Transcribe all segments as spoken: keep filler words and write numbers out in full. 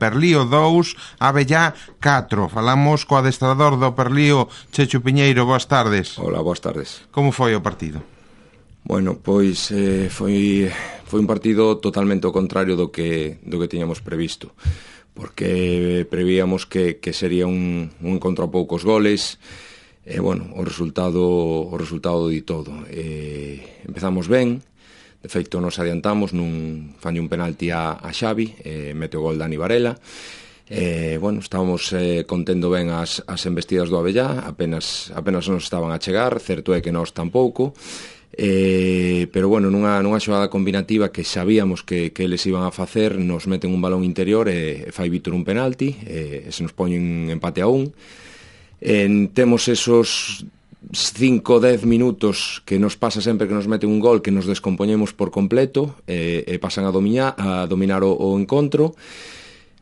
Perlío dous, Abellá catro. Falamos co adestrador do Perlío, Checho Piñeiro. Boas tardes. Hola, boas tardes. Como foi o partido? Bueno, pois eh, foi, foi un partido totalmente ao contrario do que, do que tiñamos previsto, porque prevíamos que, que sería un, un encontro a poucos goles. E, bueno, o resultado o resultado di todo. E, empezamos ben, de feito nos adiantamos nun fanlle un penalti a, a Xavi, e mete o gol Dani Varela. E, bueno, estábamos eh, contendo ben as, as embestidas do Abellá, apenas, apenas nos estaban a chegar, certo é que nós tampouco. Eh, pero bueno, nunha, nunha xogada combinativa que sabíamos que, que eles iban a facer, nos meten un balón interior e, e fai Vítor un penalti, e, e se nos poñen empate a un. En, temos esos cinco a dez minutos que nos pasa sempre que nos meten un gol, que nos descompoñemos por completo e, e pasan a dominar, a dominar o, o encontro.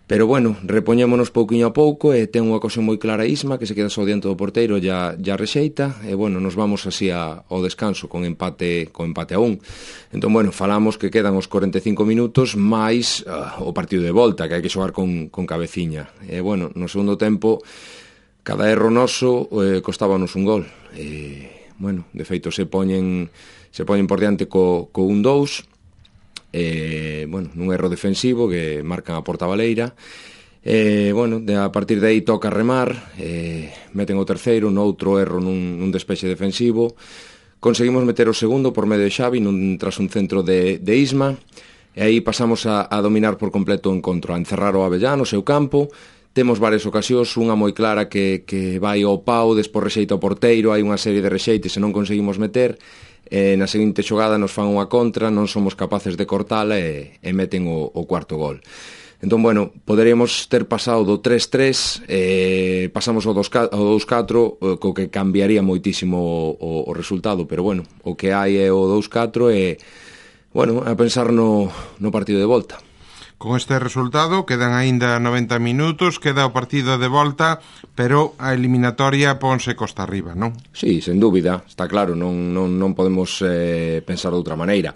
Pero bueno, repoñémonos pouquiño a pouco e ten unha ocasión moi clara Isma, que se queda só diante do porteiro, ya, ya rexeita, e bueno, nos vamos así a, ao descanso con empate con empate a un. Entón, bueno, falamos que quedan os cuarenta e cinco minutos máis uh, o partido de volta, que hai que xogar con, con cabeciña. E bueno, no segundo tempo, cada erro noso eh, costábanos un gol. E, bueno, de feito se poñen se poñen por diante co, co un dous, e, bueno, nun erro defensivo que marcan a porta baleira. E, bueno, de, a partir de aí toca remar, e, meten o terceiro, noutro erro nun, nun despexe defensivo. Conseguimos meter o segundo por medio de Xavi nun, tras un centro de, de Isma, e aí pasamos a, a dominar por completo o encontro, a encerrar o Abellá no seu campo. Temos varias ocasións, unha moi clara que, que vai ao pau, despois rexeita o porteiro, hai unha serie de rexeites e non conseguimos meter. E na seguinte xogada nos fan unha contra, non somos capaces de cortala e, e meten o, o cuarto gol. Entón, bueno, poderíamos ter pasado do tres tres, e pasamos ao dos catro, co que cambiaría moitísimo o, o resultado, pero bueno, o que hai é o dos catro e, bueno, a pensar no, no partido de volta. Con este resultado quedan aínda noventa minutos, queda o partido de volta, pero a eliminatoria ponse costa arriba, non? Sí, sen dúbida, está claro, non, non, non podemos eh, pensar de outra maneira.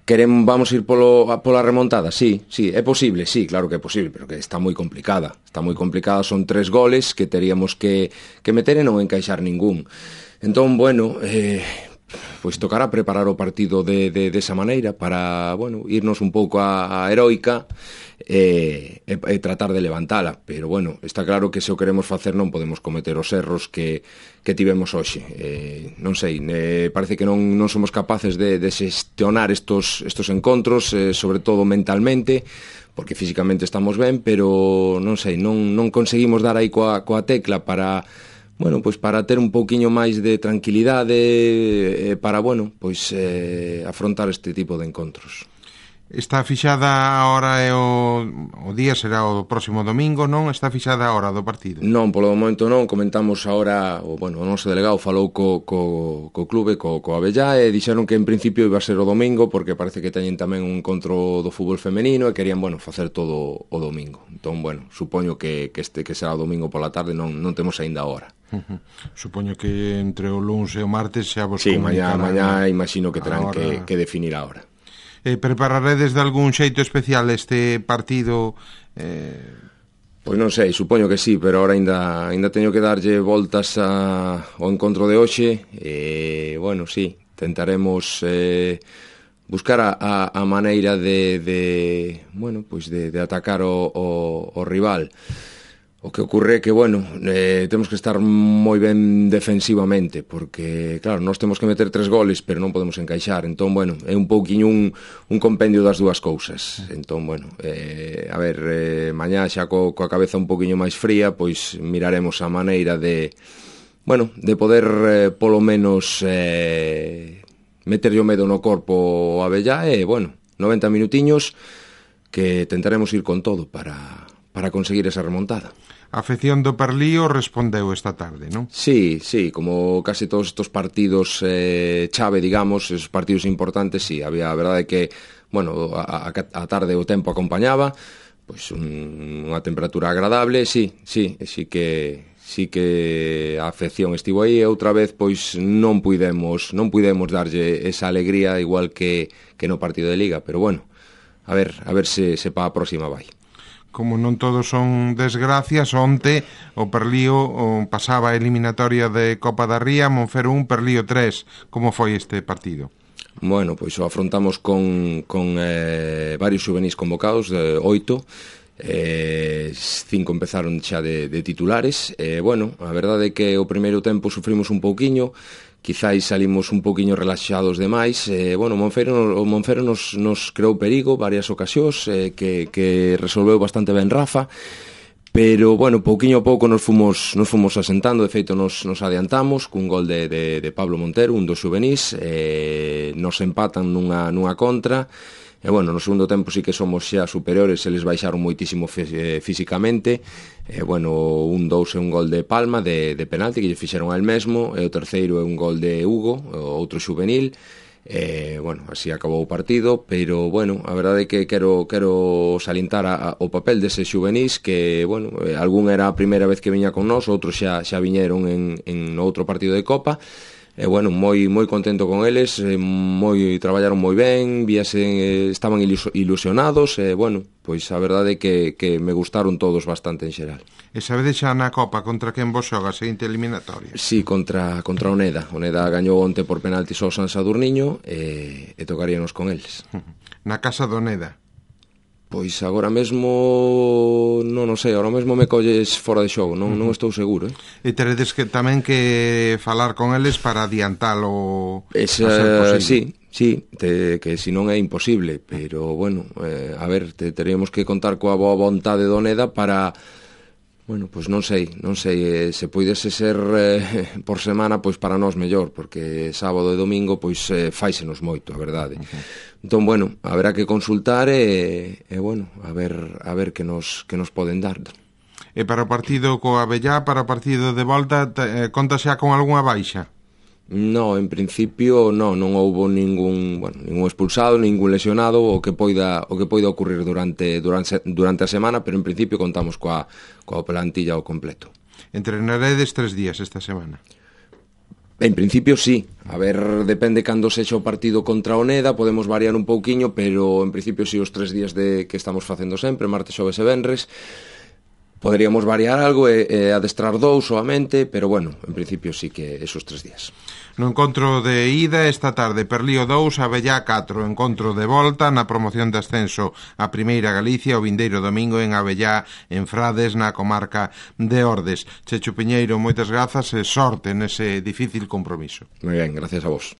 Queremos, vamos ir polo, pola remontada? Sí, sí, é posible, sí, claro que é posible, pero que está moi complicada. Está moi complicada, son tres goles que teríamos que, que meter e non encaixar ningún. Entón, bueno, eh, pois tocará preparar o partido de, de, de esa maneira para, bueno, irnos un pouco a, a heroica e, e, e tratar de levantala, pero bueno, está claro que se o queremos facer non podemos cometer os erros que, que tivemos hoxe. Eh, non sei, eh, parece que non, non somos capaces de, de xestionar estos, estos encontros, eh, sobre todo mentalmente, porque físicamente estamos ben, pero non sei, non, non conseguimos dar aí coa, coa tecla para... Bueno, pois para ter un pouquiño máis de tranquilidade, eh, para, bueno, pois eh, afrontar este tipo de encontros. Está fixada a hora e o, o día será o próximo domingo, non? Está fixada a hora do partido? Non, polo momento non, comentamos agora, o, bueno, o noso delegado falou co, co, co clube, co, co Abellá, e dixeron que en principio iba a ser o domingo, porque parece que teñen tamén un encontro do fútbol femenino e querían, bueno, facer todo o domingo. Entón, bueno, supoño que, que este que será o domingo pola tarde, non, non temos aínda a hora. Uh-huh. Supoño que entre o luns e o martes xa vos sí, comunicarán. Sí, mañá, mañá imagino que terán que, que definir a hora. Eh, prepararedes de algún xeito especial este partido? Eh... Pois non sei, supoño que sí, pero ahora ainda, ainda teño que darlle voltas a, ao encontro de hoxe e, bueno, sí, tentaremos eh, buscar a, a, a maneira de, de, bueno, pois de, de atacar o, o, o rival. O que ocurre é que, bueno, eh, temos que estar moi ben defensivamente, porque, claro, nós temos que meter tres goles, pero non podemos encaixar. Entón, bueno, é un pouquiño un, un compendio das dúas cousas. Entón, bueno, eh, a ver, eh, mañá xa co, coa cabeza un pouquiño máis fría, pois miraremos a maneira de, bueno, de poder, eh, polo menos, eh, meterlle o medo no corpo a Abellá e, bueno, noventa minutiños que tentaremos ir con todo para, para conseguir esa remontada. A afección do Perlío respondeu esta tarde, non? Sí, sí, como casi todos estos partidos eh, chave, digamos, esos partidos importantes, sí, había, a verdade que, bueno, a, a, a tarde o tempo acompañaba, pois un, unha temperatura agradable, sí, sí, sí que sí que a afección estivo aí e outra vez pois non puidemos, non puidemos darlle esa alegría igual que, que no partido de Liga, pero bueno, a ver, a ver se, se pa a próxima vai. Como non todos son desgracias, onte o Perlío o pasaba a eliminatoria de Copa da Ría, Monfero un, Perlío tres. Como foi este partido? Bueno, pois o afrontamos con, con eh, varios xuvenis convocados, de oito, eh, cinco empezaron xa de, de titulares. Eh, bueno, a verdade é que o primeiro tempo sufrimos un pouquiño, quizáis salimos un pouquiño relaxados demais. Eh, bueno, Monfero, o Monfero nos, nos creou perigo varias ocasións, eh, que, que resolveu bastante ben Rafa, pero, bueno, pouquiño a pouco nos fomos, nos fomos asentando. De feito, nos, nos adiantamos cun gol de, de, de Pablo Montero, un dos xuvenís, eh, nos empatan nunha, nunha contra. E, bueno, no segundo tempo sí que somos xa superiores, eles baixaron moitísimo físicamente. E, bueno, un dous é un gol de Palma, de, de penalti, que lle fixeron al mesmo, e o terceiro é un gol de Hugo, outro xuvenil. E, bueno, así acabou o partido, pero, bueno, a verdade é que quero, quero salientar a, a, o papel dese xuvenís, que, bueno, algún era a primeira vez que viña con nós, outros xa, xa viñeron en, en outro partido de Copa. E, bueno, moi moi contento con eles, moi traballaron moi ben, víase, estaban ilusionados, e, bueno, pois a verdade é que, que me gustaron todos bastante en xeral. E sabedes xa na Copa contra quen vos xoga a seguinte eliminatoria? Sí, contra, contra Oneda. Oneda gañou onte por penaltis ao San Sadurniño, e, e tocaríanos con eles. Na casa do Oneda? Pois agora mesmo non o sei, agora mesmo me colles fora de xogo, non, non estou seguro, eh? E teredes que tamén que falar con eles para adiantalo Esa, a ser posible. Sí, sí, te, que si non é imposible, pero, bueno, eh, a ver, te, teríamos que contar coa boa vontade do Oneda para... Bueno, pois non sei, non sei, eh, se poidese ser eh, por semana, pois para nós mellor, porque sábado e domingo, pois eh, fáisenos moito, a verdade. Uh-huh. Entón, bueno, haberá que consultar e, e bueno, a ver, a ver que nos, que nos poden dar. E para o partido co Abellá, para o partido de volta, te, eh, conta xa con algunha baixa? No, en principio non, non houbo ningún, bueno, ningún expulsado, ningún lesionado, o que poida o que poida ocurrir durante durante durante a semana, pero en principio contamos coa coa plantilla ao completo. Entrenaredes tres días esta semana? En principio sí, a ver, depende cando sexa o partido contra Oneda, podemos variar un pouquiño, pero en principio sí os tres días de que estamos facendo sempre, martes, xoves e venres. Poderíamos variar algo e, e adestrar dous soamente, pero, bueno, en principio sí que esos tres días. No encontro de ida esta tarde, Perlío dous, Abellá catro. Encontro de volta na promoción de ascenso a Primeira Galicia o vindeiro domingo en Abellá, en Frades, na comarca de Ordes. Checho Piñeiro, moitas grazas e sorte nese difícil compromiso. Moi ben, gracias a vos.